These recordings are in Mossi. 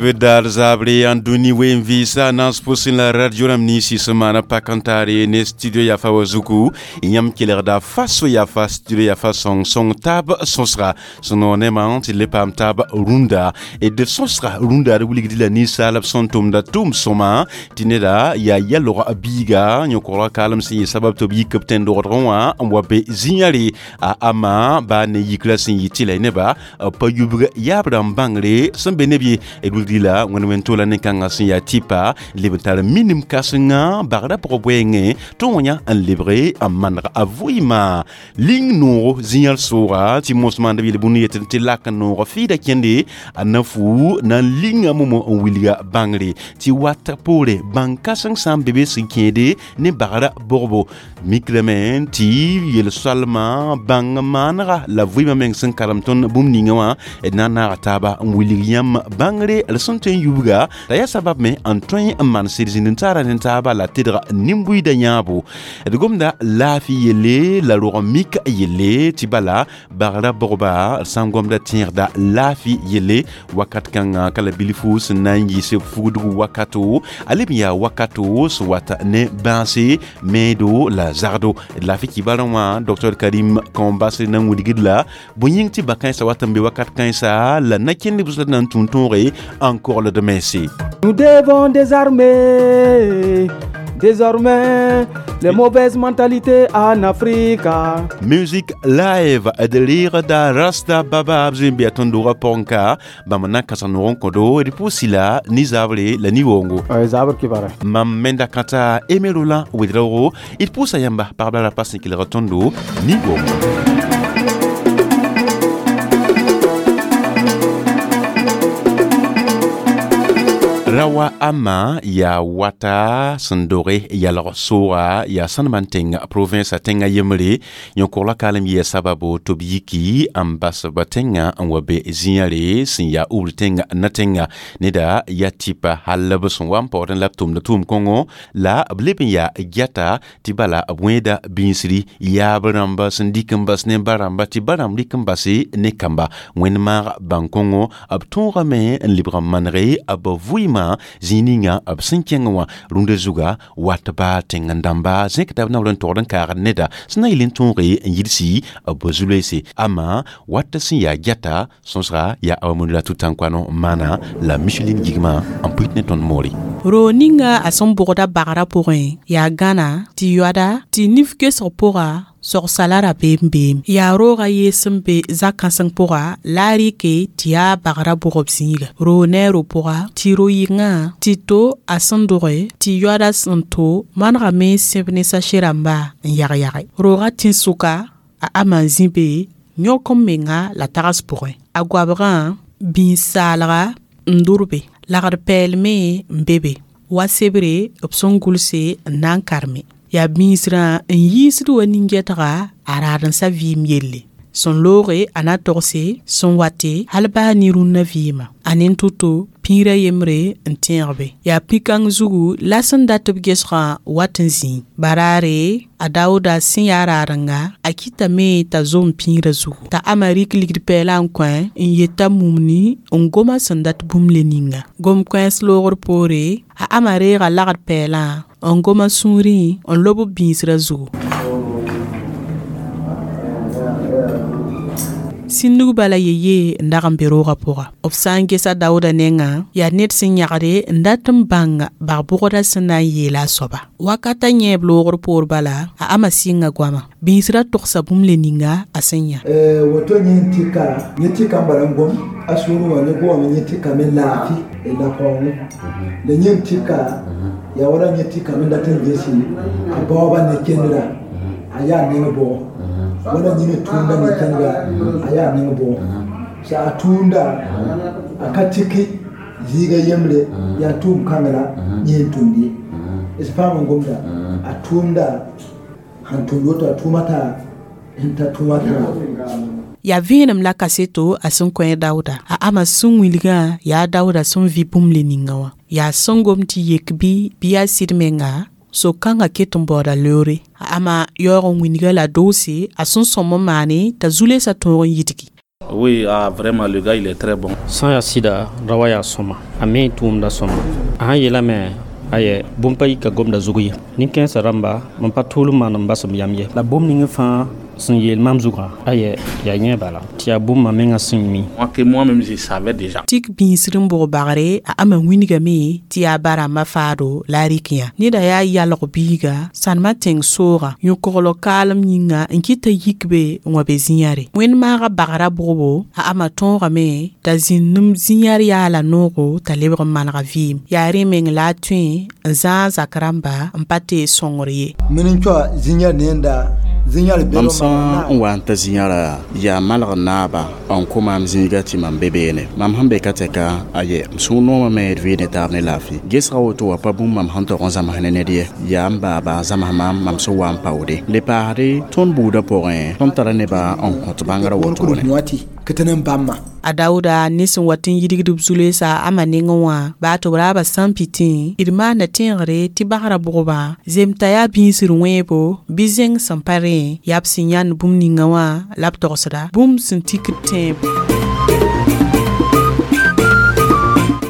Dar zabre an dũni wen vɩɩsa naas pʋsẽ la radio rãmb ninsi sẽn maana pak n taare ne studio yafa wa zugu. Yãmb kelgda faso yafa studio yafa sõng sõng taab sõsga sẽn noog nemã tɩ le paam taab rũnda. D sõsga rũnda d wilgd la ninsaalb sẽn tʋmda tʋʋm sõma tɩ neda yaa yalog biiga yõ-kogrã kaalem sẽn yɩ sabab tɩ b yik b tẽn-dogdgẽ wã n wa be zĩ-yãre a ama baa ne yikra sẽn yɩ tɩ la y nebã pa yubg yaab rãmb bãngre sẽn be neb ye. D wilgd la wẽnd wẽn tola ne kãngã sẽn yaa tɩpa leb n tar minim kãsenga bagrã pʋgã bʋɛɛngẽ tɩ wã n lebge n maneg a vɩɩmã ling noogo zĩ-yãl sʋʋga tɩ mos maand b yel-bũnd yetɩ tɩ lak n noog fɩɩda kẽnde a na fu na n linga momo n wilga bãngre tɩ wat poore bãng kãseng sã n be be sẽn kẽede ne bagrã bogbo mikrame tɩ yel-soalmã bãng maanega la vɩɩmã meng sẽn karem tõnd bũmb ninga wã d na n naaga taaba n wilg yãmb bãngre d sẽn tõe n yubga la yaa sabab me n tõe n maan sɩd zĩnd n taara ne taaba la tedg nin-buiidã yãabo. D gomda laafɩ yelle la rog mik yelle tɩ bala bagrã bogba sã n gomda tẽegda laafɩ yelle wakat kãngã ka la bilfu sẽn na n yiis fugdg wakato a leb n yaa wakato sẽn wat ne bãase meedo la zagdo. D laafɩ kibarã wã Dr Karim Kãombas na n wilgd la bõe yĩng tɩ ba-kãensã wat n be wakat kãensa la na kẽnd b na n tũu tõoge n kogld mense. Nous devons désarmer désormais les mauvaises mentalités en Afrique. Music live d reegda Rasta Baba b zoe n bɩ a tõnd-doogã pʋgẽ bãmb na n kãsem noog n kõdo d pʋʋsi la ni-zaabre la ni-woongo. Zaabr kibara. Mam menda kãta Aimé Roland Ouédraogo d pʋʋsa yãmba pagb la rapa sẽn kelg tõndo ni-woongo. Rawa ama yaa wata sẽn doge yalg sooga yaa sãnemã n tẽng province a tẽngã yembre yõ-kogla kaalem yɩa sababo tɩ b yiki n bas ba tẽngã n wa be zĩ-yãre sẽn yaa ubr tẽnga na tẽnga neda yaa tɩpa hal b sẽn wa n paoodẽ la b tʋmda tʋʋm kõngo la b leb n yaa gɛta tɩ bala b wẽeda bĩnsri yaab rãmba sẽn dɩk n bas ne ba rãmba tɩ ba rãmb rɩk n base ne kamba wẽnd maag bãn-kõngo b tõogame n lebg n manege b vɩɩmã zĩig ninga b sẽn kẽng wã rũndã zuga wat baa tẽng-dãmba zẽkda b naoor n togd n kaagd neda sẽn na n yel n tõoge n yidsi b zu-loeese ama wat sẽn yaa gɛta sõsga yaa Awa la Tutankano maana la Micheline Gigma n pʋɩt ne tõnd moore. Ro ninga a sẽn bʋgda bagrã pʋgẽ yaa gãna tɩ yoada tɩ nif gesg pʋga sogsala rabeem beem yaa roogã yees n be zak-kãseng pʋga la a rɩke tɩ yaa bagrã bʋgb zĩiga roog neero pʋga tɩ ro-yɩngã tɩ to a sẽn doge tɩ yoada sẽn to manegame sẽb ne sase rãmba n yag-yage roogã tẽn-sʋka a ama n zĩ be yõk n menga la tags pʋgẽ a goabgã bĩs-saalga n dʋrbe lagd pɛɛlme n be be wa sebre b sẽn gʋlse n na n karme yaa bĩisrã n yiisd wa nin-gɛtga a raadensã vɩɩm yelle sẽn looge a na togse sẽn wate hal baa ne rũnnã vɩɩmã a nen to-to pĩirã yembre n tẽegbe yaa pĩ-kãng zugu la sẽn dat b gesgã wat n zĩi baraare a daooda sẽn yaa raadenga a kɩtame t'a zom pĩirã zugu t'a ama rɩk ligd pɛɛlã n kõ n yeta mumni n goma sẽn dat bũmb le ninga gom kãens loogr poore a ama reega lagd pɛɛlã n goma sũurẽ n lob b bĩisrã zugu sĩndg bala yeye n dag n be roogã pʋga b sã n gesa daooda nengã yaa ned sẽn yãgde n dat n bãng bag-bʋgdã sẽn na n yeela a soaba wakata yẽeb loogr poor bala a ama sɩnga goama bĩisrã togsa bũmb le ninga a sẽn yã. Woto yẽ tɩka yẽ tɩka n bala n gom a sũurẽ wã ne goame yẽ tɩka me laafɩ la kaoongẽ la yẽ tɩka yaa wala yẽ tɩka me dat n gesi a baooba ne kendra a yaa neng bʋgɔ wala yẽ tũunda ne kendra a yaa neng bʋgɔ sa a tũunda a ka tɩki zĩiga yembre yaa tʋʋm kãngra yẽ n tũnd ye d paam n gomda a tʋʋmda sẽn tũnd woto a tʋʋma t'a n ta tʋʋma tã. Yaa vẽenem la kaseto a sẽn kõ daooda a ama sẽn wilgã yaa daooda sẽn vɩ bũmb le ninga wã yaa sẽn gom tɩ yek bɩ yaa sɩd menga so-kãngã ket n baooda loore a ama yaoog n wilga la doose a sẽn sõm n maane t'a zu-loeesã tõog n yidgi. Oui, ah, vraiment, le gars, il est très bon. Sã n yaa sɩda ra wa yaa sõma a me tʋʋmda sõma a sãn yeelame aye bũmb pa yika gomda zug ye nin-kãensã rãmba mam pa tʋʋl n maan n bas m yam ye la bũmb ning fãa sẽn yeel mam zugã aye yaa yẽ bala tɩ yaa bũmb mam mengã sẽn mi. Moi que moi-même je savais déjà. Tik bĩisd n bʋg bagre a ama wĩnigame tɩ yaa barãmbã faado la a rɩk yã neda yaa yalg biiga sãnemã tẽng sooga yõ-koglg kaalem yĩnga n kɩt t'a yik be n wa be zĩ-yãre wẽnd maaga bagrã bʋgbo a ama tõogame t'a zĩnd zĩ-yãr yaala noogo t'a lebg n manega vɩɩm yaa rẽ meng la a tõe n zãag zak rãmba n pa tee sõngr ye. Min n coa zĩ-yãr nenda zĩ-yãr Mam sã n wa n ta zĩ-yãra yaa malg naaba n kõ maam zĩiga tɩ mam be beene mam sẽn be ka tɛka aye m sũur noomame d vɩɩ ne taab ne laafɩ gesga woto wa pa bũmb mam sẽn tog n zãms ne ned ye yaa n baaba zãms maam mam sẽn wa n paoode le paasde tõnd buudã pʋgẽ tõnd tara nebã n kõt bãngrã wotone. A daooda ne sẽn wat n yidgd b zu-loeesa ama nengẽ wã baa tɩ b raaba sã n pɩtẽ d maanda tẽegre tɩ bagrã bʋgbã zemta yaa bĩisr wẽebo bɩ zẽng sẽn pa rẽ yaa b sẽn yãnd bũmb ninga wã la b togsda bũmb sẽn tikd tẽebo.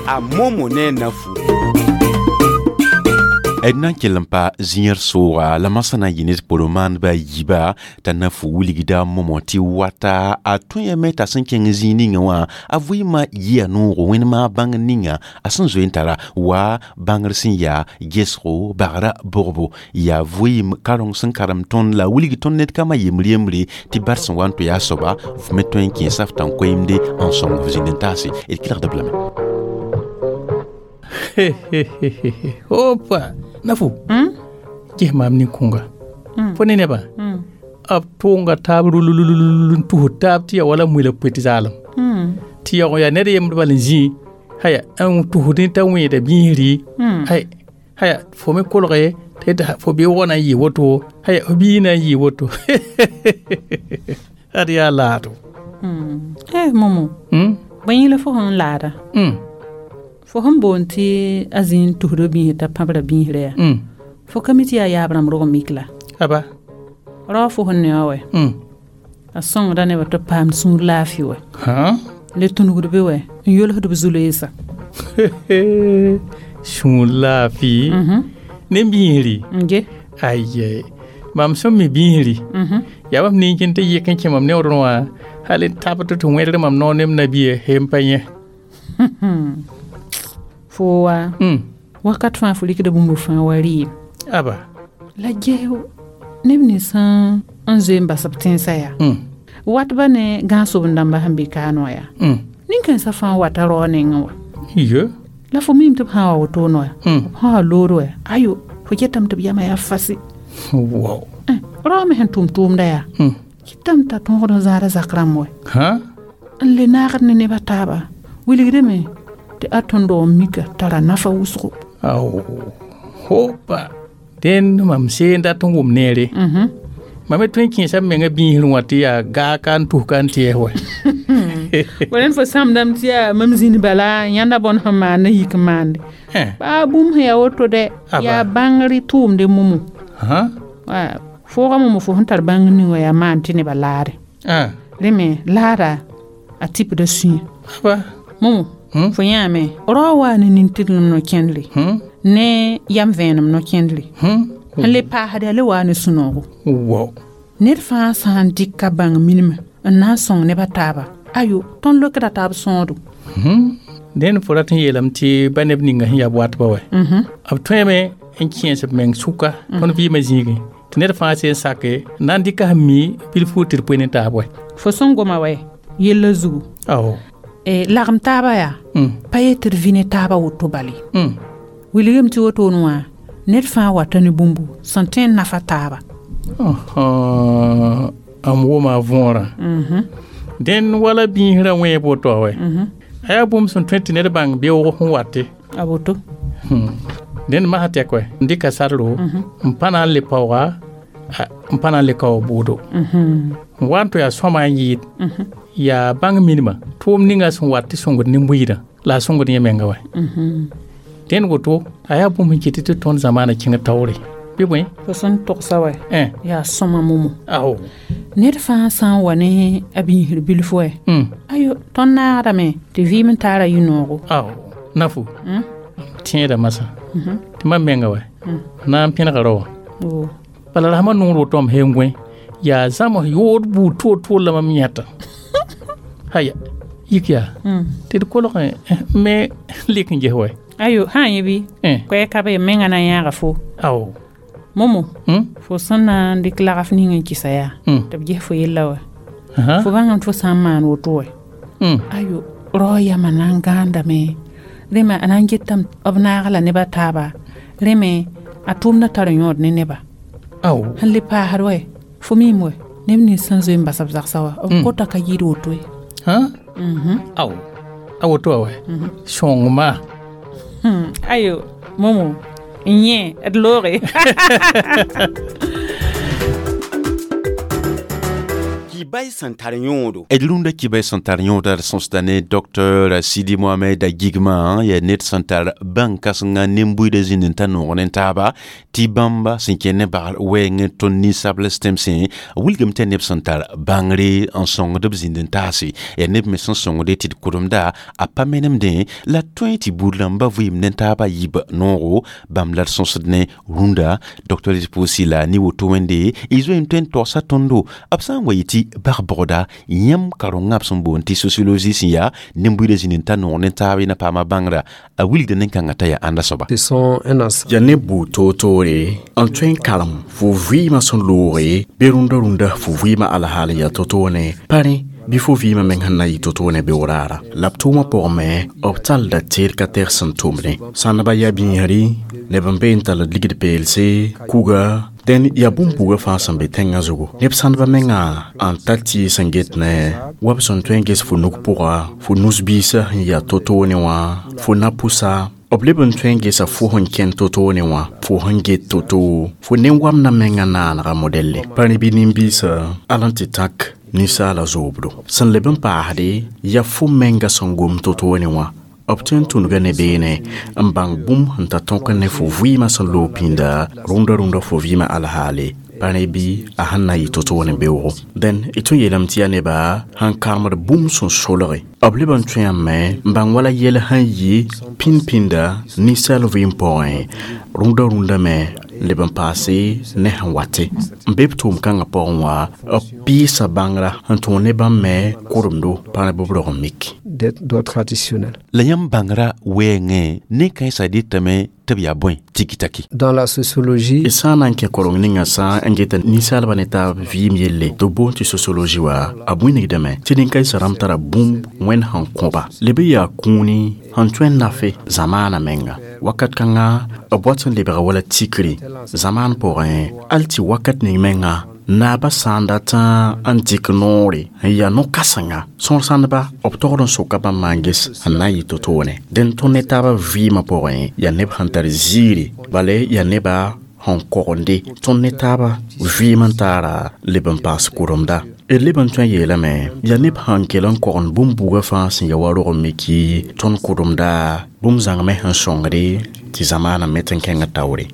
A Momo ne Nafu. D na n kell n pa zĩ-yãr sooga la masã na n yɩ ned pʋrẽ-maandbã a yiiba t'a na fu wilgda momo tɩ wata a tõe t'a sẽn kẽng zĩig ninga wã a vɩɩmã yɩa noogo wẽnd maag bãngr ninga a sẽn zoe n tara wa bãngr sẽn yaa gesgo bagrã bʋgbo yaa vɩɩm kareng sẽn karem tõnd la a wilg tõnd ned kambã yembr yembre tɩ bar sẽn wa n tʋ yaa soaba f me tõe n kẽesa f tãn-koeemde n sõng f zĩnd n taase d kelgda b lame. Opa nafu ges maam nin-kõnga fo ne nebã b tʋʋnga taab rulululul n tus taab tɩ ya wala muila poet zaalem tɩ yaoog yaa ned yembd bal n zĩ haya n tusdẽ t'a wẽeda biisri hay haya fo me kolge tɩ fo beoogã na n yɩ woto haya fo bii na n yɩ woto ad yaa laado. Momo bõe yẽla fo sẽn laada fo sẽn boond tɩ a zĩ n tusd biisr t'a pãbra biisrã yaa fo ka mi tɩ yaa yaab rãmb rog n mik la aba rao fo sẽn ne wã wɛ a sõngda nebã tɩ b paam sũur laafɩ wɛ le tũnugd be wɛ n yolsd b zu-loeesa sũur laafɩ ne biisri ge aye mam sẽn mi biisri yaa bam nin-kẽn tɩ yɩk n kẽ mam neoodẽ wã hal n tabd tɩ wẽdg mam noor ne m nabiye hem pa yẽ fo wa wakat fãa fo rɩkda bũmb fãa wa rɩɩm aba la ges neb nins n zoe n bas b tẽnsã yaa watba ne gãag-sobend-dãmbã sẽn be kaan wã yaa nin-kãensã fãa wata rao nengẽ wã iyo la fo miime tɩ b sã n wa wotone wã b sã wa lood wã ayo fo getame tɩ b yamã yaa fasɩ wow rao me sẽn tʋm tʋʋmda yaa kɩtame t'a tõogd n zãada zak rãmb wɛ n le naagd ne nebã taaba wilgdame tɩ a tõnd n mika tara nafa wʋsgo. Ao hopa dẽnd mam seen dat n wʋm neere mam me tõe n kẽesa m menga biisr wã tɩ yaa gaaka n tus ka n tɩɛs wɛ. Wa fo sãmdame tɩ yaa mam zĩnd bala yãnda bõn sẽn maan n yik n maande baa bũmb sẽn yaa woto dɛ yaa bãngr tʋʋmde momo fooga momo fo sẽn tar bãngr ning wã yaa maan tɩ nebã laade rẽ me laada a tipda sũyã momo fo yãame rao waa ne nin-tiglem no-kẽndre ne yam vẽenem no-kẽndre n le paasd yaa le waa ne sũ-noogo ned fãa sã n dɩk ka bãng minimã n na n sõng nebã taaba ayo tõnd lokda taab sõodo. Dẽnd fo rat n yeelame tɩ ba neb ninga sẽn yaa watbã wɛ b tõeme n kẽes b meng sʋka tõnd vɩɩmã zĩigẽ tɩ ned fãa sẽn sake n na n dɩka sẽn mi bilfu tɩ d poe ne taab wɛ fo sẽn goma wɛ yellã zugu ao lagem taaba yaa pa yet tɩ d vɩ ne taaba woto bale wilgame tɩ wotone wã ned fãa wata ne bũmbu sẽn tõe n nafa taaba am wʋma võorã dẽnd wala biisrã wẽeb woto wɛ a yaa bũmb sẽn tõe tɩ ned bãng beoog sẽn wate a woto dẽnd masã tɛk wɛ n dɩka sadro n pa na n le paooga n pa na n le kao bʋʋdo n wa n tɩ yaa sõma n yɩɩd yaa bãng minimã tʋʋm ninga sẽn wat tɩ sõngd nin-buiidã la a sõngd yẽ menga wɛ dẽnd woto a yaa bũmb sẽn kɩt tɩ tõnd zamaanã kẽng taoore bɩ bõe fo sẽn togsa wɛ yaa sõma momo ao Ned fãa sã n wa ne a biisr bilf wɛ. Ayo, tõnd naagdame tɩ vɩɩm n taara yũ-noogo. Ao, Nafu. Tẽeda masã. Tɩ mam menga wɛ. Na n pẽnega rao wã. Bala rasmã noor woto m seen gõe yaa zãms yood buud toor-toor la mam yẽta. Haya, yik yaa. Tɩ d kolg me lik n ges wɛ. Ayo, sã n yẽ bɩ? Koɛɛg ka be menga na yãaga fo. Ao. Momo, fo sẽn na n dɩk lagf ning n kɩsa yaa tɩ b ges fo yella wɛ. Fo bãngame tɩ fo sã n maan woto wɛ. Ayo, rao yamã na n gãandame. Rẽ me a na n getame b naag la neb a taaba. Rẽ me a tʋʋmdã tar yõod ne neba. Ao. Sẽn le paasd wɛ, fo miime wɛ, neb nins sẽn zoe n bas b zagsã wã, b kota ka yɩɩd woto ye. Ao. A woto wã wɛ. Sõngma. Ayo, Momo, n yẽ d looge. Kibay sẽn tar yõodo. D rũndã kibay sẽn tar yõoda d sõsda ne Dr Sidi Mohamed Gigma, yaa ned sẽn tar bãn-kãsenga nen-buiidã zĩnd n ta noog ne taaba tɩ bãmba sẽn kẽ ne bagr wɛɛngẽ tõnd ninsabls tẽmsẽ wilgame tɩ yaa neb sẽn tar bãngre n sõngd b zĩnd n taase, yaa neb me sẽn sõngde tɩ d kʋremda a pa menemdẽ la tõe tɩ buud rãmbã vɩɩm ne taabã yib noogo. Bãmb la d sõsd ne rũndã Dr pʋʋsi la ne woto wẽnde y zoe n tõe n togsa tõndo b sã n wa yɩ tɩ bag-bogda yãmb karengã b sẽn boond tɩ sociologie sẽn yaa nen-buiidã zĩnd n ta noog ne taab y na paama bãngrã a wilgda nen-kãngã t'a yaa ãnda soaba. Yaa neb buud toor-toore n tõe n karem fo vɩɩmã sẽn looge bɩ rũndã rũndã fo vɩɩmã alhaal n yaa to-to ne pa rẽ bɩ fo vɩɩmã meng sẽn na n yɩ to-to ne beoog raara. La b tʋʋmã pʋgẽ me b tallda teed ka tɛg sẽn tʋmdẽ. Sãndbã yaa biisri, neb n be n tall ligd peelse, kuga, dẽn yaa bũmb-bugã fãa sẽn be tẽngã zugu. Neb sãndbã mengã n tar tɩɩs n get ne wa b sẽn tõe n ges fo nug pʋga, fo nus-biisã sẽn yaa to-to ne wã, fo na-pʋsa, b leb n tõe n gesa fo sẽn kẽnd to-to ne wã, fo sẽn get to-to, fo nen-wamdã mengã naanega modɛlle. Pa rẽ bɩ nin-biisã al n tɩ tãk ninsaala zoobdo. Sẽn leb n paasde yaa fo menga sẽn gom to-to ne wã. B tõe n tũnuga ne beene n bãng bũmb sẽn ta tõk ne fo vɩɩmã sẽn loog pĩnda rũndã rũndã fo vɩɩmã alhaale. Pa rẽ bɩ a sẽn na n yɩ to-to ne beoogo. Dẽn d tõe n yeelame tɩ yaa neba sẽn karemd bũmb sẽn solge. B leb n tõeame n bãng wala yɛl sẽn yɩ pĩnd-pĩnda ninsaal vɩɩm pʋgẽ rũndã rũndã me leb n paase ne sẽn wate. N be b tʋʋm-kãngã pʋgẽ wã b pɩɩsa bãngrã n tõog ne bãmb me kʋremdo pa rẽ bɩ b rog n mik. La yãmb bãngrã wɛɛngẽ nen-kãensã dɩtame tɩ b yaa bõe tiki-taki. Dans la sociologie, d sã n na n kẽ koreng ninga sã n geta ninsaalbã ne taab vɩɩm yelle tɩ b boond tɩ sociologie wa a bũnigdame tɩ nin-kãensã rãmb tara bũmb wẽnd sẽn kõba leb n yaa kũuni sẽn tõe n nafe zamaanã menga. Wakat kãnga b wat n lebga wala tikri zamaan pʋgẽ al tɩ wakat ning menga naabã sã n dat n dɩk noore n yaa no-kãsenga sõor sãndba b togd n soka bãmb maan ges n na n yɩ to-toone. Dẽn tõnd ne taabã vɩɩmã pʋgẽ yaa neb sẽn tar ziiri bala yaa neba sẽn kogende tõnd ne taabã vɩɩm n taara leb n paas kʋremda. D leb n tõe n yeelame yaa neb sẽn kell n kogend bũmb-buugã fãa sẽn ya wa rog n miki tõnd kʋremda bũmb zãng me sẽn sõngde tɩ zamaanã me tɩ n kẽng taoore.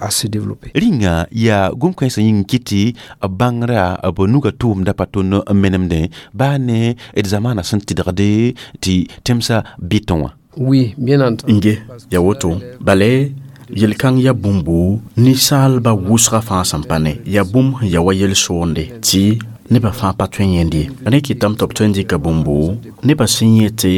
Rĩnga yaa gom-kãensã yĩng kɩt tɩ b bãngrã b nuga tʋʋmda pa tõnd n menemdẽ baa ne d zamaanã sẽn tɩdgde tɩ tẽmsã bɩtẽ wã. Oui, bien entendu. Nge yaa woto bala yel-kãng yaa bũmbu ninsaalbã wʋsgã fãa sẽn pa ne yaa bũmb sẽn ya wa yel-soonde tɩ nebã fãa pa tõe n yẽnd ye. Rẽ kɩtame tɩ b tõe n dɩka bũmbu nebã sẽn yẽ tɩ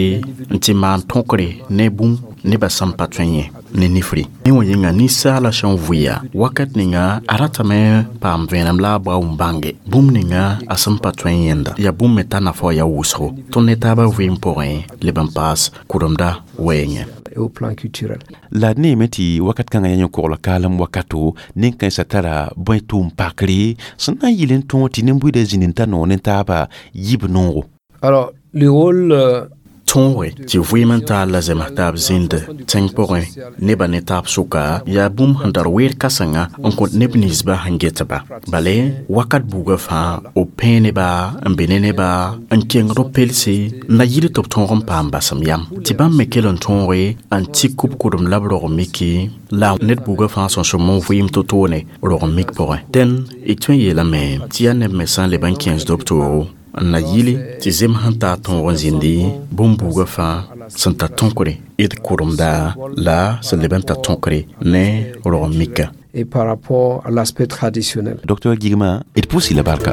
n tɩ maan tõkre ne bũmb nebã sẽn pa tõe n yẽ ne nifri. Rẽ wã yĩnga ninsaalã sẽn vʋɩa wakat ninga a ratame paam vẽenem la a bao n bãnge bũmb ninga a sẽn pa tõe n yẽnda yaa bũmb me t'a nafa wã yaa wʋsgo. Tõnd ne taabã vɩɩm pʋgẽ leb n paas kʋremda wɛɛngẽ. Au plan culturel. La d neeme tɩ wakat kãngã yaa yẽ-kogl kaalem wakato nen-kãensã tara bõe tʋʋm pakre sẽn na n yɩl n tõog tɩ nen-buiidã zĩnd n ta noog ne taabã yib noogo. Alors, le rôle Tõoge tɩ vɩɩm n taal la zems taab zĩnd tẽng pʋgẽ nebã ne taab sʋka yaa bũmb sẽn tar weer kãsenga n kõt neb ninsba sẽn getba bale wakat buugã fãa b pẽe neba n be ne neba n kengd b pelse n na yɩl tɩ b tõog n paam basem yam tɩ bãmb me kell n tõoge n tik b kʋdem la b rog miki la ned buugã fãa sẽn sõm n vɩɩm to-toone rog mik pʋgẽ dẽn d tõe n yeelame tɩ yaa neb me sã n leb n kẽesd b toogo n na yɩle tɩ zem sẽn taa tõog n zĩndi bũmb-buugã fãa sẽn tar tõkre d kʋremda la sẽn leb n tar tõkre ne rog mika. Et par rapport à l'aspect traditionnel. Docteur Guigma, d pʋʋs-y la barka.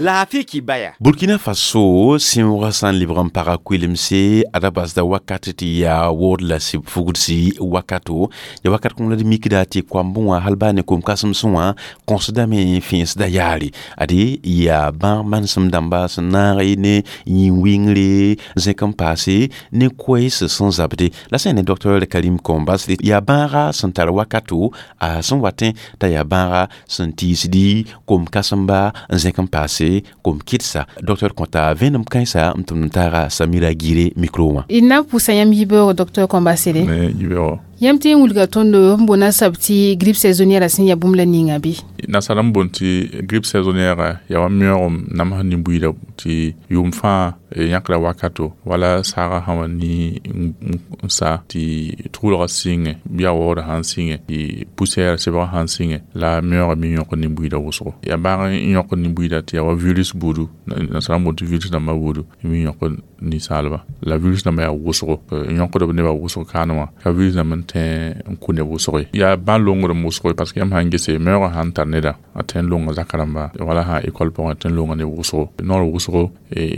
Laafɩ kibaya. Burkina Faso sẽoogã sã n lebg n paga koelemse ada basda wakat tɩ yaa wood la sɩb fugdsi wakato ya wakat kõn la d mikda tɩ koambẽ wã hal baa ne kom-kãsemsẽ wã kõsdame fẽesda yaare ade yaa bãag manesem dãmba sẽn naag ne yĩn-wɩngre zẽk n paase ne koɛɛs sẽn zabde la sã ne Dr Karim Kombas yaa bãaga sẽn tar wakato a sẽn watẽ t'a yaa bãaga sẽn tiisdi kom-kãsemba n zẽk n paase kom kɩdsa docteur kõta vẽenem kãensa n tʋmd n taaga Samira Gire micro wã. D na n pʋʋsa yãmb yibeoogo docteur Kombasele. Yãmb tɩ n wilga tõndo n boona sab tɩ grippe saisonnière sẽn yaa bũmb la ninga bɩ? Nasara n boond tɩ grippe saisonnière yaa wa meoogem namsd nin-buiida tɩ yʋʋm fãa yãkra wakato wala saagã sã wa ni n sa tɩ tʋʋlgã sɩngẽ bɩ a waoodã sãn sɩngẽ tɩ poussière sebgã sãn sɩngẽ la meoogã me yõkd nin-buiidã wʋsgo yaa bãag n yõkd nin-buiida tɩ yaa wa virus buudu nasara n boond tɩ virus dãmbã buudu me yõkd ninsaalba la virus dãmbã yaa wʋsgo yõkd b nebã wʋsg kaane wã ka virus dãmb n tẽ n kʋ neb wʋsg ye yaa bãn longdem wʋsg parce que yãmb sãn gese meoogã sãn tar neda a tẽ n longa zaka rãmba wala sã école pʋgẽ tẽ n longa neb wʋsgo noor wʋsgo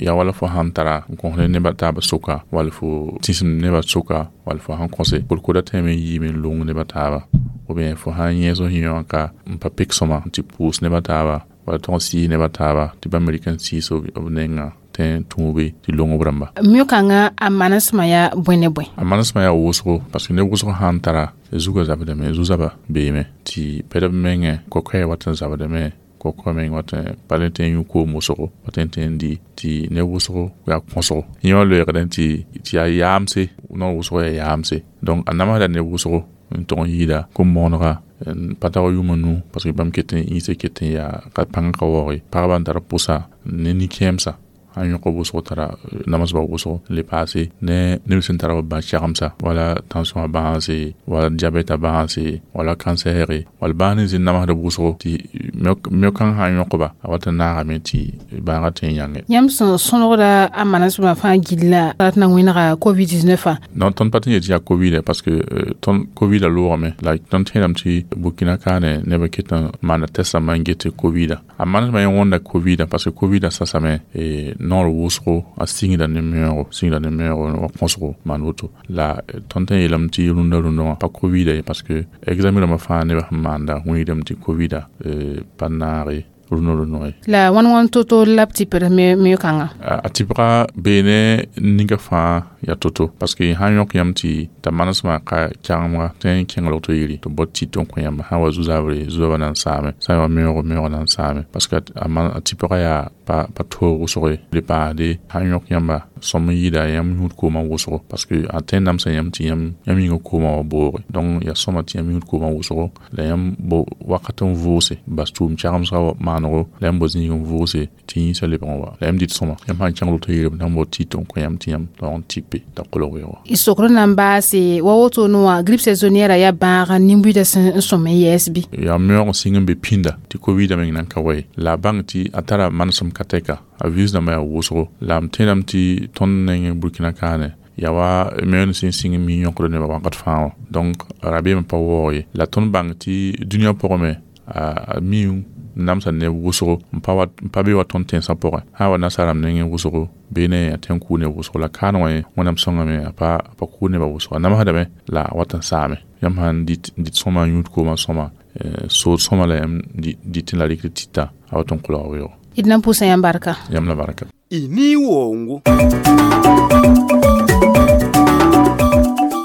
yaa wala fo sãn tara n kõs ne nebã taabã sʋka wall fo tĩsem nebã sʋka wall fo sãn kõse kolkoda tẽeme n yiime n long nebã taaba ou bien fo sãn yẽes f yẽ wã ka n pa pek sõma tɩ pʋʋs nebã taaba wala tʋg n sɩɩs nebã taaba tɩ bãmb rɩk n sɩɩs b nenga tẽ tũube tɩ long b rãmba. Mio-kãngã a manesmã yaa bõe ne bõe? A manesmã yaa wʋsgo parce que neb wʋsg sãn tara zugã zabdame zu-zaba beeme tɩ pɛdb mengẽ kokoɛɛ wat n zabdame kɔkɔ meng wat n pa le tẽ n yũ koom wʋsgo wat n tẽ n di tɩ neb wʋsgo yaa kõsgo yẽ wã loeegdẽ tɩ yaa yaamse noor wʋsgo yaa yaamse donc a namsda neb wʋsgo n tʋg n yɩɩda kom-moonega n pa tag yʋʋm a nu parce que bãmb ket n yĩsã ket n yaa ka pãng ka waooge pagba n tar pʋsa ne nin-kẽemsa sãn yõk b wʋsgo tara namsba wʋsgo le paase ne neb sẽn tara b bã-kɛgemsa wala tension a bãase wala diabɛte a bãase wala cancer wala bãas nins n namsd b wʋsgo tɩ mio-kãng sã n yõkba a wat n naagame tɩ bãagã tõe n yãnge. Yãmb sẽn sõlgda a manesmã fãa gilla rat na wẽnega COVID-19 wã? Non, tõnd pa tɩ n yet tɩ yaa COVID parce que tõnd COVID a loogame la tõnd tẽedame tɩ Burkina kaane nebã ket n maanda test rãmbã n get tɩ COVID a manesmã yẽ wõnda COVID parce que COVID sasame noor wʋsgo a sɩngda ne meoogo sɩngda ne meoogo wa kõsgo maan woto la tõnd tõe n yeelame tɩ rũndã rũndã wã pa COVID ye parce que examen rãmbã fãa nebã sẽn maanda wĩigdame tɩ COVID pa naage rũndã rũndã ye. La wãn wãn to-to la b tɩpd mio-kãngã? A tɩpga bee ne ninga fãa yaa to-to parce que sãn yõk yãmb tɩ t'a manesmã ka kɛgemga tõe n kẽng rogto yiri tɩ bot tit n kõ yãmb sã wa zu-zabre zu-zaabã na n saame sã n wa meoogo meoogã na n saame parce que a tɩpga yaa pa toog wʋsg ye le paasde sãn yõk yãmba sõm n yɩɩda yãmb yũud koomã wʋsgo parce que a tõe n namsa yãmb tɩ yãmb yĩngã koomã wa booge donc yaa sõma tɩ yãmb yũud koomã wʋsgo la yãmb bo wakat n vʋʋse bas tʋʋm kɛgemsgã maanego la yãmb bo zĩig n vʋʋse tɩ yĩnsã lebg n wa la yãmb dɩt sõma yãmb sãn kẽng rogto yiri b na n bo tit n kõ yãmb tɩ yãmb taoog n tipe t'a kolg weoogo. Y sokr na n baase wa woto wã grippe saisonnière yaa bãag nin-buiidã sẽn sõm n yɛɛs bɩ? Yaa meoog n sɩng n be pĩnda tɩ COVID meng nan ka wa ye la a bãng tɩ a tara manesem ka tɛka a virus dãmbã yaa wʋsgo la m tẽedame tɩ tõnd nengẽ Burkina kaane yaa wa meoog sẽn sɩng n mi yõkd nebã wakat fãa wã donc rabeemã pa waoog ye la tõnd bãng tɩ dũniyã pʋgẽ me a mi namsa neb wʋsgo n pa be wa tõnd tẽnsã pʋgẽ sã wa nasaarame nengẽ wʋsgo bee ne a tõe n kʋʋ neb wʋsgo la kaan wã ye Wẽnnaam sõngame a pa kʋʋ nebã wʋsgo a namsdame la a wat n saame yãmb sãn dɩt sõma yũud koomã sõma sood sõma la yãmb dɩtẽ la rɩkd tita a wat n kolga weoogo. D na n pʋʋsa yãmb barka. Yãmb la barka. Y ni wongo.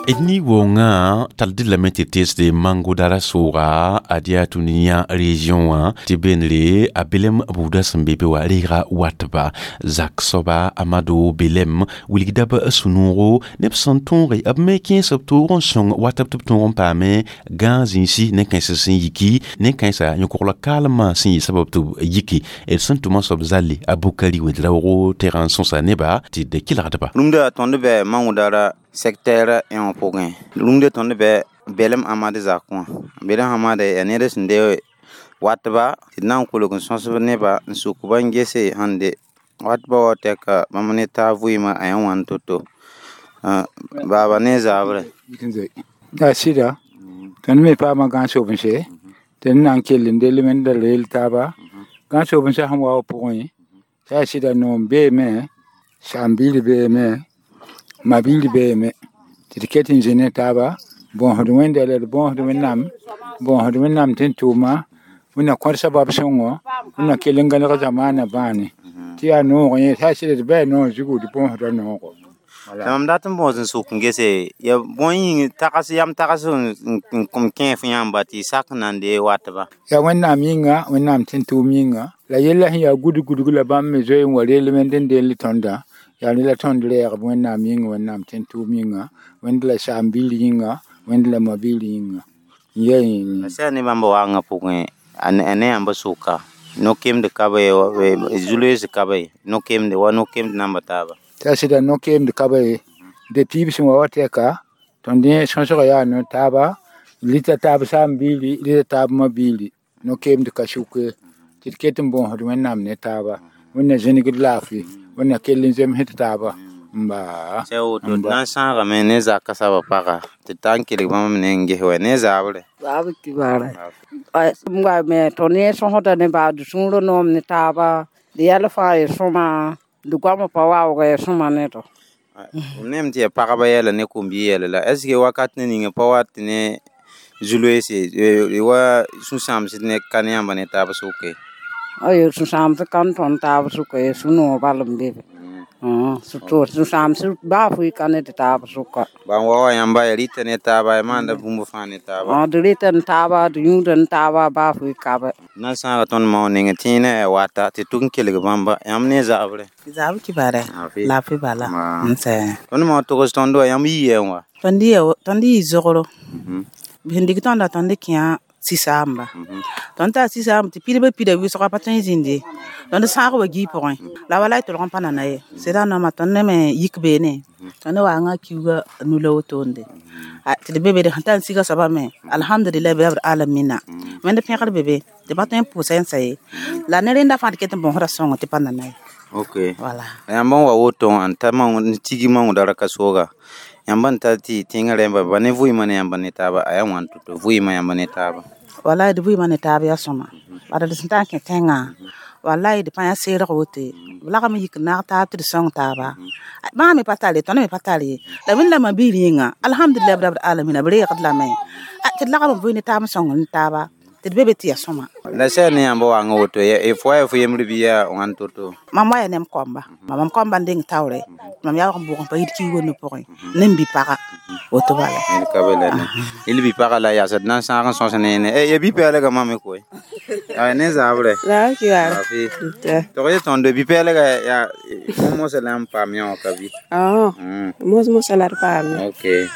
Ni wʋngã tall dɩ lame tɩ teesde mangodara sʋʋga ad yaa tũni-yã région wã tɩ beenre a belem buudã sẽn be be wã reega watba zak soaba Amado Belem wilgda b sũ-noogo neb sẽn tõoge b me kẽes b toog n sõng watb tɩ b tõog n paame gãag zĩisi ne kãens sẽn yiki ne kãensa yõ-kogla kaalmã sẽn yɩ sabab tɩ b yiki d sẽn tʋma soab zalle a Bukari Wẽedraoogo tɛgã n sõsa neba tɩ d kelgdba. Rũmda tõnd bɛ Mangudara secteur yã pʋgẽ rũmda tõnd bɛ Belem Amad zakẽ wã Belem Amad yaa ned sẽn de watba tɩ d na n kolg n sõsb neba n suk ba n gese sẽn de watba wa tɛka bãmb ne taab vɩɩmã a yã wãn to-to baaba ne zaabrɛ. Yaa sɩda tõnd me paama gãag-sobense tɩ d na n kell n dell wẽnda reel taaba gãag-sobensã sẽn wa pʋgẽ t'a yaa sɩda noom beeme saam-biir beeme ma-biir beeme tɩ d ket n zĩ ne taaba bõosd wẽnda la d bõosd Wẽnnaam tɩ n tʋʋma wẽnna kõt sabab sõngo wẽnna kell n gãneg zamaanã bãane tɩ yaa noog yẽ t'a yaa sɩda d bɩ noog zugu d bõosda noogo. La mam dat n bõos n sʋk n gese ya bõe yĩng tags yam tags n kom kẽ f yãmba tɩ y sak n na n dee watba. Yaa Wẽnnaam yĩnga Wẽnnaam tɩ n tʋʋm yĩnga la yella sẽn yaa gudg-gudg la bãmb me zoe n wa reel wẽnd n dell tõndã yaa ne la tõnd reegb Wẽnnaam yĩnga Wẽnnaam tɩ n tʋʋm yĩnga Wẽnd la saam-biir yĩnga Wẽnd la ma-biir yĩnga n yaa yĩnga. Sã ne bãmb waangã pʋgẽ a ne yãmb sʋka no-kemd ka be zu-loees ka be no-kemde wa no-kemd namba taaba. T'a sɩda no-keemd ka be depuis b sẽn wa wa tɛka tõnd yẽ sõsgã yaa no-taaba rɩta taab saam-biiri rɩta taab ma-biiri no-keemd ka sʋke tɩ d ket n bõosd Wẽnnaam ne taaba Wẽnna zĩnigd laafɩ Wẽnna kell n zemsd taaba n baa. Sã woto d na n sãagame ne zakã soabã paga tɩ d ta n kelg bãmb ne n ges wɛ ne zaabre. Zaab kibara wa me tõnd yẽ sõsda ne baa d sũurã noom ne taaba d yɛl fãa y sõma d goamã pa waoog ya sõma ne tɔ. Nem tɩ yaa pagba yɛla ne kom-bii yɛla la est ce que wakat ne ninga pa wat ne zu-loeese wa sũ-sãamsd ne ka ne yãmba ne taab sʋke. Ayo sũ-sãamsd ka n tõnd taab sʋka ye sũ-noog bal n be be sũ-sãamsd baa fʋɩ ka ne tɩ taab sʋka. Ban wa wa yãmba ya rɩta ne taaba ya maanda bũmb fãa ne taaba. D rɩta n taaba d yũuda n taaba baa fʋɩ ka be. Na n sãaga tõnd mao neng tẽenã yaa wata tɩ tʋg n kelg bãmba yãmb ne zaabrɛ. Zaab kibare laafɩ bala n sɛ. Tõnd mao togs tõnd wa yãmb yii n wa. Tõnd yɩ zogro sẽn dɩk tõnda tõnd kẽa sɩsaamba tõnd taa sɩsaamba tɩ pidbã pida wɩsga pa tõe n zĩnde tõnd sãag wa gii pʋgẽ la wala y tolg n pa nana ye sɩda nooma tõnd ne me yik beene tõnd waanga kiuga nula wotonde tɩ d be be sẽn tar n siga soaba me alhamdulillah bi rabbil alamina wẽnd pẽgr be be tɩ pa tõe n pʋʋsa n sa ye la ne rẽnda fãa d ket n bõosda sõngo tɩ pa nana ye. Ok, yãmb n wa woto n ta n tigi mangdara ka sooga yãmb n ta tɩ tẽngã rẽmba ba ne vɩɩmã ne yãmb ne taaba a yaa wãn to-to vɩɩmã yãmb ne taaba. Wallahi d vɩɩmã ne taab yaa sõma bala d sẽn tar n kẽ tẽngã wallahi d pa yã seerg woto b lagm yik n naag taab tɩ d sõng taaba bãag me pa tar ye tõnd me pa tar ye la wẽnd la ma-biir yĩnga alhamdulillah bi rabbil alamina b reegd lame tɩ d lagm n vɩ ne taab n sõng ne taaba tɩ d be be tɩ yaa sõma. La sã ne yãmb waanga woto f wa ya fo yembr bɩ yaa wãn to-to. Mam wa ya ne m kɔmba mam kɔmba n deng taoore mam yaoog n bʋg n pa yit kiuugã nu pʋgẽ ne m bi-paga woto bala. Ka be la ne il bi-paga la yaasd na n sãag n sõs ne ne ya bi-pɛɛlgã mame koe ne zaabrɛ. Zaab kibare. Tog ye tõndo bi-pɛɛlgã yaa mosã la n paam yã wã ka bɩ. Mos-mosã la d paam. Ok,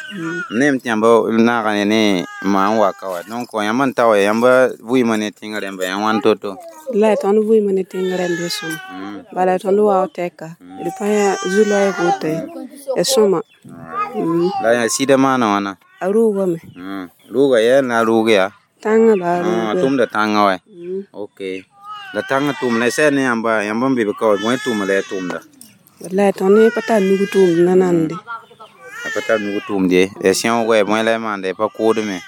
nem tɩ yãmb naaga ne maa n wa ka wa donc yãmb n ta wa yãmb vɩɩmã ne tẽng rẽmba yã wãn to-to. La tõnd vɩɩmã ne tẽng rẽmb ya sõma bala tõnd waoog tɛka d pa yã zu-loɛɛg woto ya sõma. La yaa sɩda maana wãna. A rʋʋgame. Rʋʋga yaa la rʋʋg yaa. Tãngã la a rʋʋga. Tʋmda tãngã wa. Ok, la tãngã tʋʋm la sã ne yãmba yãmb n be be ka wa bõe tʋʋm la ya tʋʋmda. Wallahi tõnd pa tar nug tʋʋmd nanande. A pa tar nug tʋʋmd ye ya sẽoog wa bõe la y maanda y pa koodme.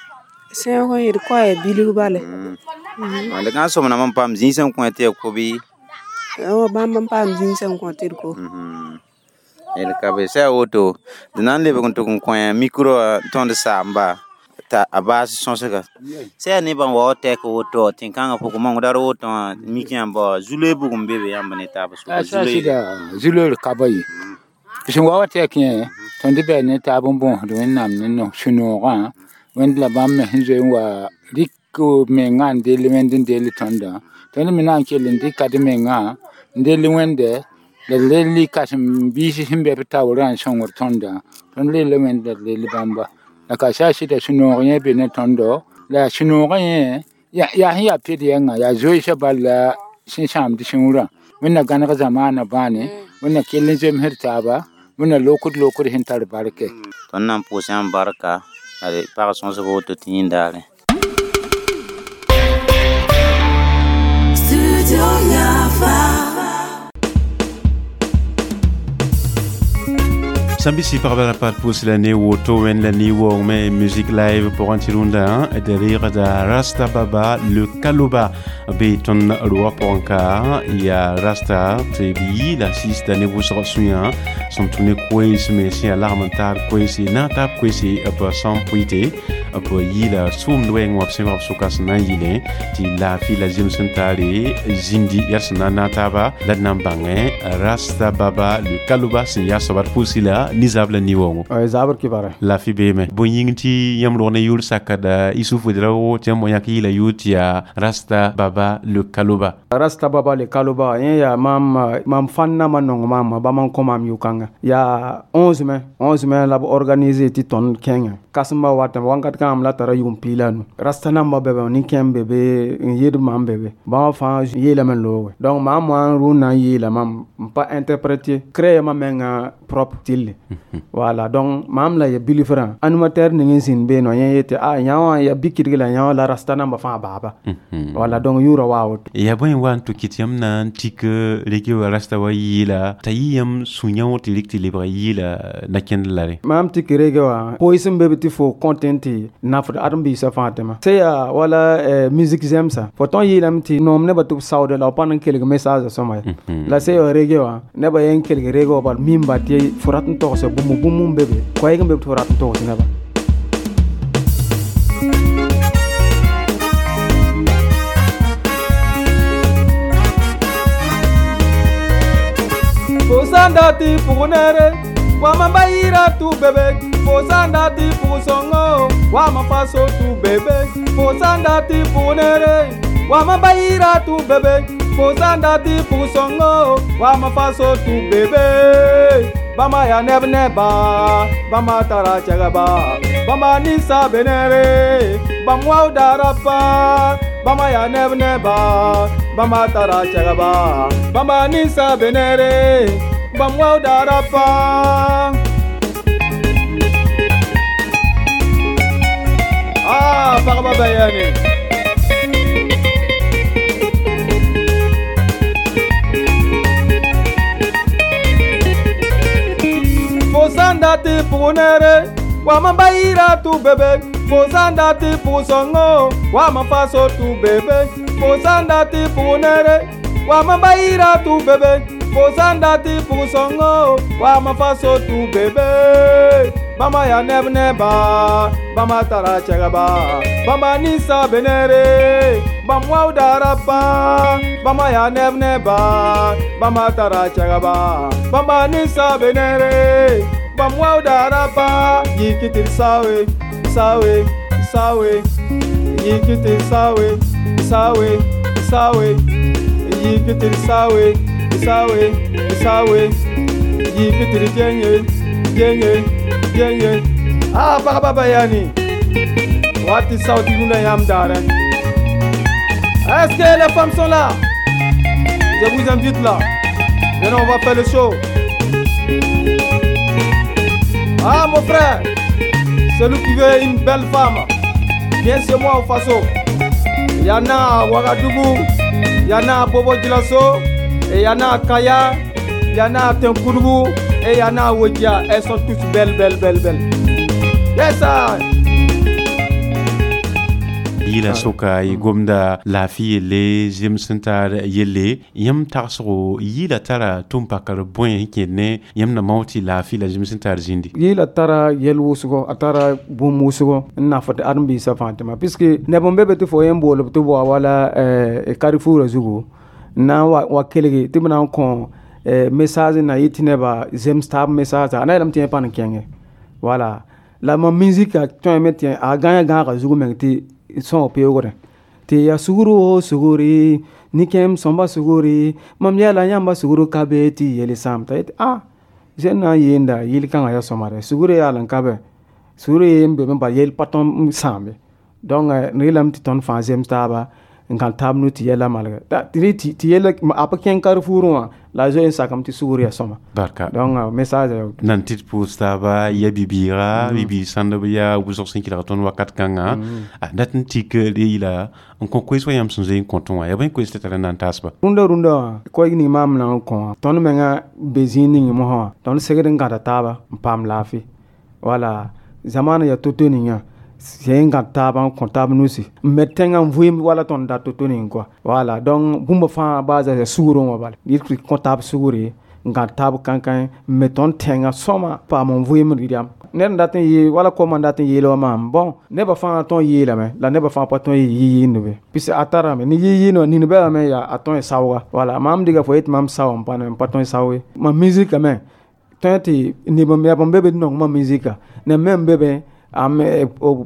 Sẽoog n d koa ya bilg bale. D gãag sõmnam n paam zĩig sẽn kõ tɩ ya ko bɩ. Bãmb n paam zĩig sẽn kõ tɩ d ko. D ka be sã woto d na n lebg n tʋg n kõ micro wã tõnd saamba t'a a baas sõsga sã yaa nebã n wa wa tɛk woto tẽn-kãngã pʋgẽ mangdar woto wã mik yãmba wã zu-loe bugum be be yãmb ne taab sʋka. Sɩda zu-loeer ka ba ye Sẽn wa wa tɩ ya kẽ tõnd bɩ ne taab n bõosd Wẽnnaam ne no sũ-noogã Wẽnd la bãmb me sẽn zoe n wa rɩk mengã n dell Wẽnd n dell tõndã tõnd me na n kell n dɩka d mengã n dell Wẽnde la d rell kãsem-biis sẽn be b taoorã n sõngd tõndã tõnd rella Wẽnd la d rell bãmba la ka saa sɩda sũ-noog yẽ be ne tõndo la sũ-noogã yẽ yaa sẽn yaa ped yɛngã yaa zoeesã bal la sẽn sãamd sũurã Wẽnna gãneg zamaanã bãane Wẽnna kell n zemsd taaba Wẽnna lokd lokd sẽn tar barke. Tõnd na n pʋʋs yãmb barka la d pag sõsg woto tɩ yĩndaare. Studio Yafa. Sambisi pagba la pat pʋs la ne woto wẽnd la ne-waoong me musique live pʋgẽ tɩ rũndã derɩɩgda Rasta Baba le Kaloba be tõnd roogã pʋgẽ ka yaa Rasta tɩ b yɩɩla sɩɩsda ne wʋsg sũyã sẽn tũ ne koees me sẽn yaa lagm n taar koeese na n taab koeese b sãn pʋɩte b yɩɩla sʋʋmd wɛɛngẽ wã b sẽn b sʋka sẽn na n yɩlẽ tɩ laafɩ la zems sẽn taare zĩndi yaa sẽn na n naag taaba la d na n bãngẽ Rasta Baba le Kaloba sẽn yaa soaba d pʋʋsɩ la ni zabla ni wongo zabr kibara la fi beme bon ying ti yam rone yur sakada Isufu Drago ti mo yak yila yut ya Rasta Baba le Kaloba. Rasta Baba le Kaloba yen ya mam fanna ma nong mam ba man kom am yukanga ya 11 mai 11 mai la organiser ti ton kenga kasma wata wangat kam la tara yum pilanu Rasta namba bebe ni kem bebe yed mam bebe ba fa yela men lowe donc mam wan runa yela mam pas interpréter créer ma menga propre tille. Voilà, donc mam la ya bilifra animateur ning sin be no yen yete a nyawa ya bikirgi la nyawa la Rasta namba fa baba. Voilà, donc yura wa ya boy wan to kitiam na tik rege wa Rasta wa yila tayam sunyaw tilik tilibra yila na ken lare mam tik rege wa poison bebe ti fo content na fo adam bi sa fatema se ya wala musique zemsa fo ton yila mti nom ne batu saude la pan kelg message soma la se rege wa ne ba yen kelg rege wa bal mimba ti forat n togse bũmb bũmb n be be koɛɛg n be tɩ fo rat n togs neba. Fo sã n dat tɩ pʋg neere wa mam ba yɩɩra tʋ bebe fo sã n dat tɩ pʋg sõngo wa mam fa so tʋ bebe fo sã n dat tɩ pʋg neere wa mam ba yɩɩra tʋ bebe fo sã n dat tɩ pʋg sõngo wa mam fa so tʋ bebe bãmba yaa neb neba bãmba tara cɛgba bãmba ninsa be neere bãmb waooda rapa bãmba yaa neb neba bãmba tara cɛgba bãmba ninsa be neere bãmb waooda rapa. Ah, pagba bayani. Fo sã n dat tɩ pʋg neere wa mam ba yɩɩra tʋ bebe fo sã n dat tɩ pʋg sõngo wa mam fa so tʋ bebe fo sã n dat tɩ pʋg neere wa mam ba yɩɩra tʋ bebe fo sã n dat tɩ pʋg sõngo wa mam fa so tʋ bebe bãmba yaa neb neba bãmba tara cɛgba bãmba ninsa be neere bãmb waooda rapa bãmba yaa neb neba bãmba tara cɛgba bãmba ninsa be neere bãmb waooda rapa yiki tɩ d saoe saoe saoe yiki tɩ d saoe saoe saoe yiki tɩ d saoe saoe saoe yiki tɩ d genge genge genge. Ah, pagba bayani wati sauti rũndã yãmb daarẽ. Est-ce que les femmes sont là? Je vous invite là. Venez, on va faire le show. Ah, mon frère, celui qui veut une belle femme, viens chez moi au Faso. Il y en a à Ouagadougou, il y en a à Bobo Dioulasso, et il y en a à Kaya, il y en a à Tenkourou, et il y en a à Ouédia. Elles sont toutes belles, belles, belles, belles. Yes, sir. Yila soka y gomda laafɩ yelle zems sẽn tar yelle yãmb tagsgo yɩɩla tara tʋm pakr bõe sẽn kẽed ne yãmb na mao tɩ laafɩ la zems sẽn tar zĩndi yɩɩla tara yɛl wʋsgo a tara bũmb wʋsgo n nafd ãdem-biisã fãa tɩma puisque neb n be be tɩ fo yẽn boolb tɩ bao wala Carrefour zugu n na n wa kelge tɩ b na n kõ Message na yɩ tɩ nebã zems taab message a na yeelame tɩ yẽ pa n kẽnge. Voilà, la mam musique tõeme tɩ a gãe gãagã zug meng tɩ sõog peoogrẽ tɩ ya sugr o sugri nin-kẽem sõmba sugri mam yɛla yãmba sugr ka be tɩ yel sãam t'a yetɩ a zẽn na n yeenda yɩl kãngã yaa sõma rɛ sugr yaal n ka bɛ sugr ye n be bal yel pa tõnd n sãambe. Donc rɩlame tɩ tõnd fãa zems taaba n gãd taab nu tɩ yɛla malgɛ tɩ yella a pa kẽng Carrefour wã la a zoe n sakame tɩ sugr yaa sõma. Barka. Donc message nan tɩ d pʋʋs taaba ya bibiiga bibiig sãndb yaa wʋsg sẽn kelg tõnd wakat kãnga a dat n tik d yɩla n kõ koees wa yãmb sẽn zoe n kõtẽ wã yaa bõe koees tɩ tara n na n taasba. Rũndã rũndã wã koɛɛg ning maam na n kõ wã tõnd menga be zĩig ning mosã wã tõnd segd n gãda taaba n paam laafɩ. Wala zamaana yaa to-to ninga sẽn gãd taaba n kõ taab nusi n me tẽngã n vɩɩm wala tõnd dat to-to ning kɔa. Wala donc bũmb fãa baa za sugrẽ wã bala yɩ kõ taab sugre n gãd taab kãnkãe n me tõnd tẽngã sõma paam n vɩɩm rɩdame ned n dat n yee wala koamã n dat n yeel wa maam. Bõn nebã fãa tõe n yeelame la nebã fãa pa tõe n yɩ-yɩɩndbe pis a tarame ne yɩ-yɩɩnd wã nin bɛlame yaa a tõe n saooga. Wala maam dɩga fo yetɩ mam sao n pa ne n pa tõe n sao ye mam musika me tõe tɩ neb n yab n be be d nong mam musika neb me n be be am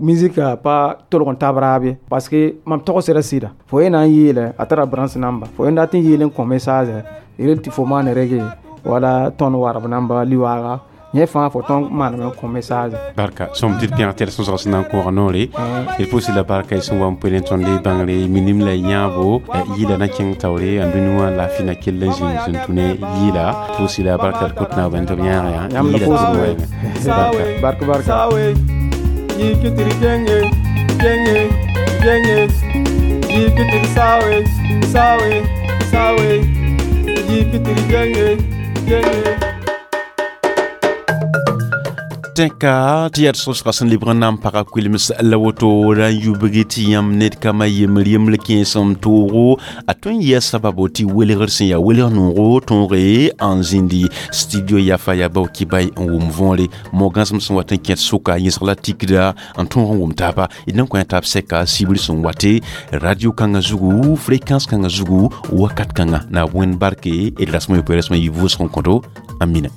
musika pa tolg n tab raab ye parce que mam togsda sɩda fo ye na n yeele a tara branche namba fo ye dat n yeel n kõ message rel tɩ fo maan rege wala tõnd warb namba liwaaga yẽ fãa fo tõnd maaneme n kõ message. Barka sõm tɩ d pẽg tɩ d sõsg sẽn na n kooga noore d pʋʋsɩ la barka y sẽn wa n poe ne tõnd bãngre minim la yãabo yɩla na kẽng taoore n dũni wã laafɩ na kell n zĩig sẽn tũ ne yɩla pʋʋsɩ la barka d kot naabã tɩ b yãag yã yãmb la yɩla pʋʋsbe. Barka barka. Yikitiri jenge jenge jenge yikitiri sawe sawe sawe yikitiri jenge jenge. Tẽka tɩ yaa d sõsga sẽn lebg n na n paga koelms la woto ra n yubg tɩ yãmb ned kama yembr yembr kẽesem toogo a tõe n yɩa sababo tɩ welgr sẽn yaa welg noogo tõoge n zĩndi studio yafa yaa bao kibay n wʋm võore mo-gãsem sẽn wat n kẽt sʋka yẽsg la tikda n tõog n wʋm taaba d na n kõ taab sɛka sibr sẽn wate radio kãngã zugu fréquence kãngã zugu wakat kãngã na wẽnd barke d rasmã yopoe rasmã yɩ vʋʋsg n kõto. Amina.